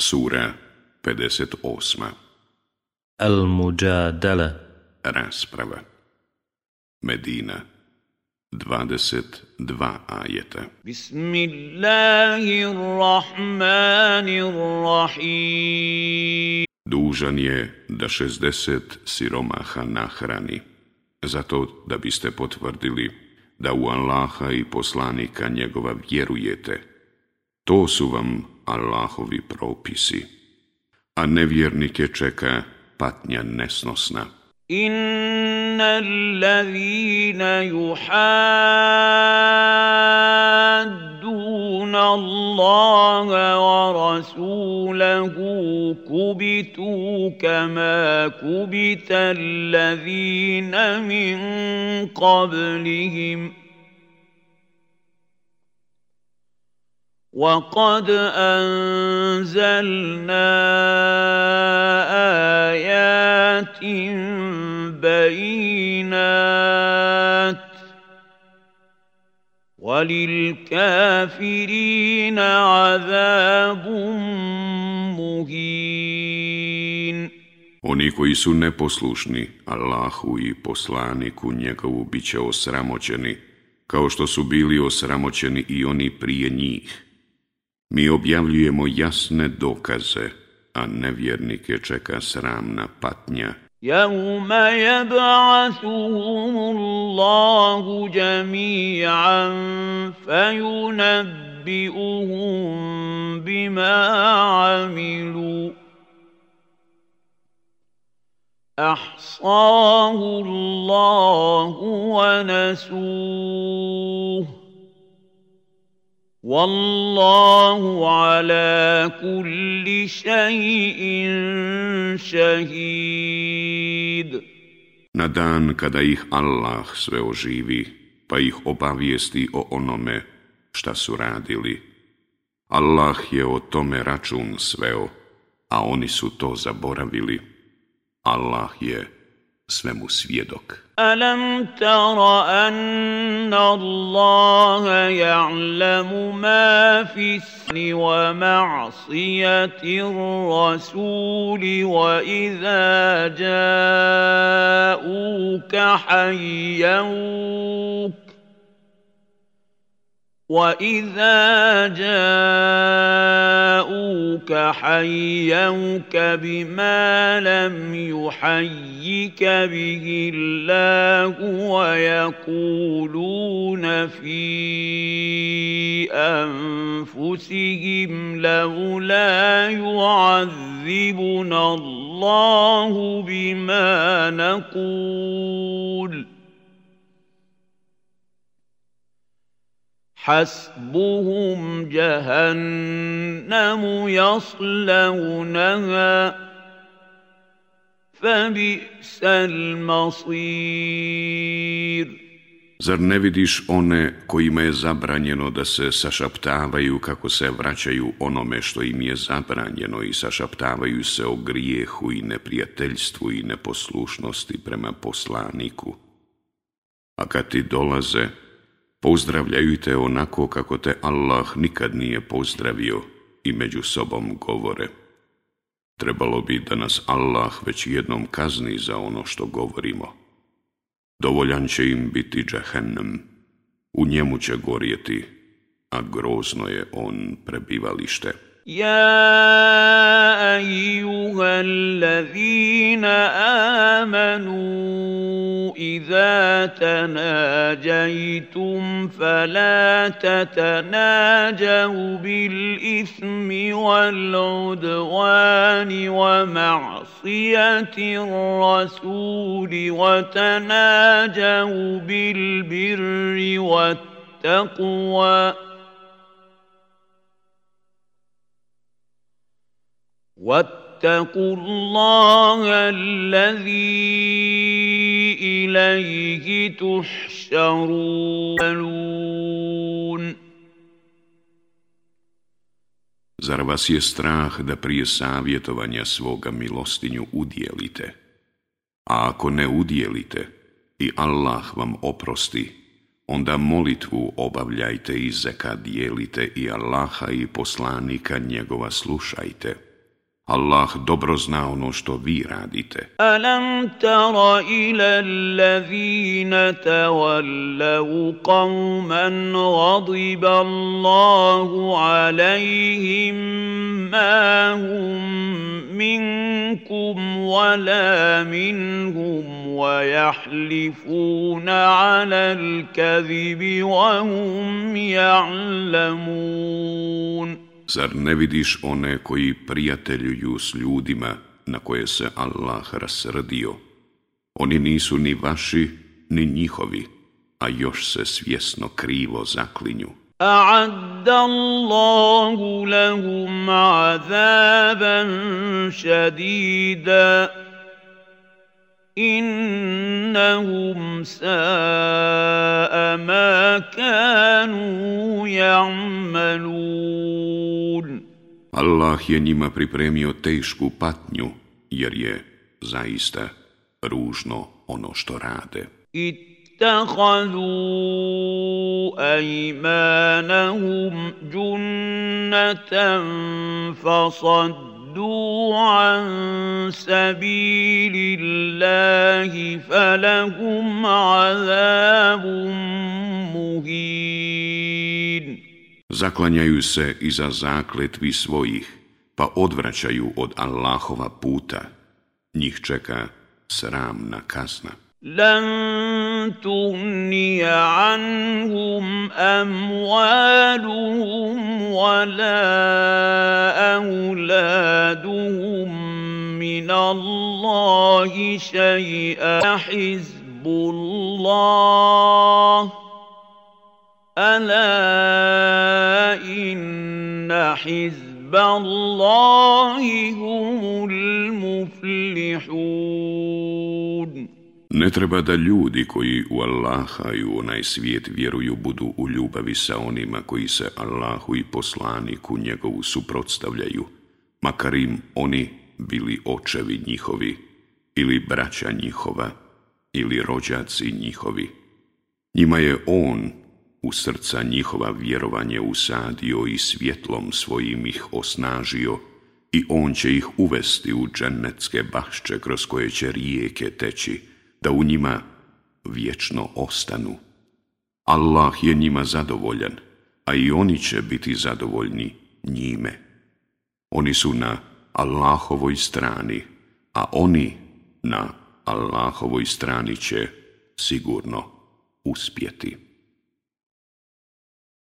Sura 58. Al-Mujadala. Rasprava. Medina. 22 ajeta. Bismillahirrahmanirrahim. Dužan je da 60 siromaha nahrani, zato da biste potvrdili da u Allaha i poslanika njegova vjerujete. To su vam Allahovi propisi, a nevjernike čeka patnja nesnosna. Innal ladhina yuhadduna Allaha wa rasulahu kubitu kama kubita alladhina min qablihim. وَقَدْ أَنزَلْنَا آيَاتٍ بَيِّنَاتٍ وَلِلْكَافِرِينَ عَذَابٌ مُهِينٌ. Oni koji su neposlušni Allahu i poslaniku njegovu bit će osramoćeni, kao što su bili osramoćeni i oni prije njih. Mi objavljujemo jasne dokaze, a nevjernike čeka sramna patnja. يَوْمَ يَبْعَثُهُمُ اللَّهُ جَمِيعًا فَيُنَبِّئُهُم بِمَا عَمِلُوا أَحْصَاهُ اللَّهُ وَنَسُوهُ وَاللَّهُ عَلَى كُلِّ شَيْءٍ شَهِيدٌ. Na dan kada ih Allah sve oživi, pa ih obavijesti o onome šta su radili. Allah je o tome račun sveo, a oni su to zaboravili. Allah je svemu svjedok. أَلَمْ تَرَ أَنَّ اللَّهَ يَعْلَمُ مَا فِي السِّرِّ وَمَعْصِيَةِ الرَّسُولِ وَإِذَا جاءوك حيوك بما لم يحيك به الله ويقولون في أنفسهم لولا يعذبنا الله بما نقول حسبهم جهنم يصلونها فبئس المصير. Zar ne vidiš one kojima je zabranjeno da se sašaptavaju kako se vraćaju onome što im je zabranjeno i sašaptavaju se o grijehu i neprijateljstvu i neposlušnosti prema poslaniku? A kad ti dolaze, pozdravljaju te onako kako te Allah nikad nije pozdravio i među sobom govore. Trebalo bi da nas Allah već jednom kazni za ono što govorimo. Dovoljan će im biti džehennem, u njemu će gorjeti, a grozno je on prebivalište. يا أيها الذين آمنوا إذا تناجيتم فلا تتناجوا بالإثم والعدوان ومعصية الرسول وتناجوا بالبر والتقوى واتقوا الله الذي إليه تحشرون. Zar vas je strah da prije savjetovanja svoga milostinju udjelite? A ako ne udjelite i Allah vam oprosti, onda molitvu obavljajte i zekat dijelite i Allaha i poslanika njegova slušajte. Allah dobro zna ono što vi radite. ألم تر إلى الذين تولوا قوما غضب الله عليهم ما هم منكم ولا منهم ويحلفون على الكذب وهم يعلمون. Zar ne vidiš one koji prijateljuju s ljudima na koje se Allah rasrdio? Oni nisu ni vaši, ni njihovi, a još se svjesno krivo zaklinju. أعد الله لهم عذابا شديدا إنهم ساء ما كانوا يعملون. Allah je njima pripremio tešku patnju, jer je zaista ružno ono što rade. اتخذوا أيمانهم جنة فصدوا عن سبيل الله فلهم عذاب مهين. Zaklanjaju se iza zakletvi svojih, pa odvraćaju od Allahova puta. Njih čeka sramna kazna. لن تغني عنهم أموالهم ولا أولادهم من الله شيئا حزب الله ألا إن حزب الله هم المفلحون. Ne treba da ljudi koji u Allaha i u onaj svijet vjeruju budu u ljubavi sa onima koji se Allahu i poslaniku njegovu suprotstavljaju, makar im oni bili očevi njihovi, ili braća njihova, ili rođaci njihovi. Njima je on u srca njihova vjerovanje usadio i svjetlom svojim ih osnažio, i on će ih uvesti u džennetske bašče kroz koje će rijeke teći, da u njima vječno ostanu. Allah je njima zadovoljan, a i oni će biti zadovoljni njime. Oni su na Allahovoj strani, a oni na Allahovoj strani će sigurno uspjeti.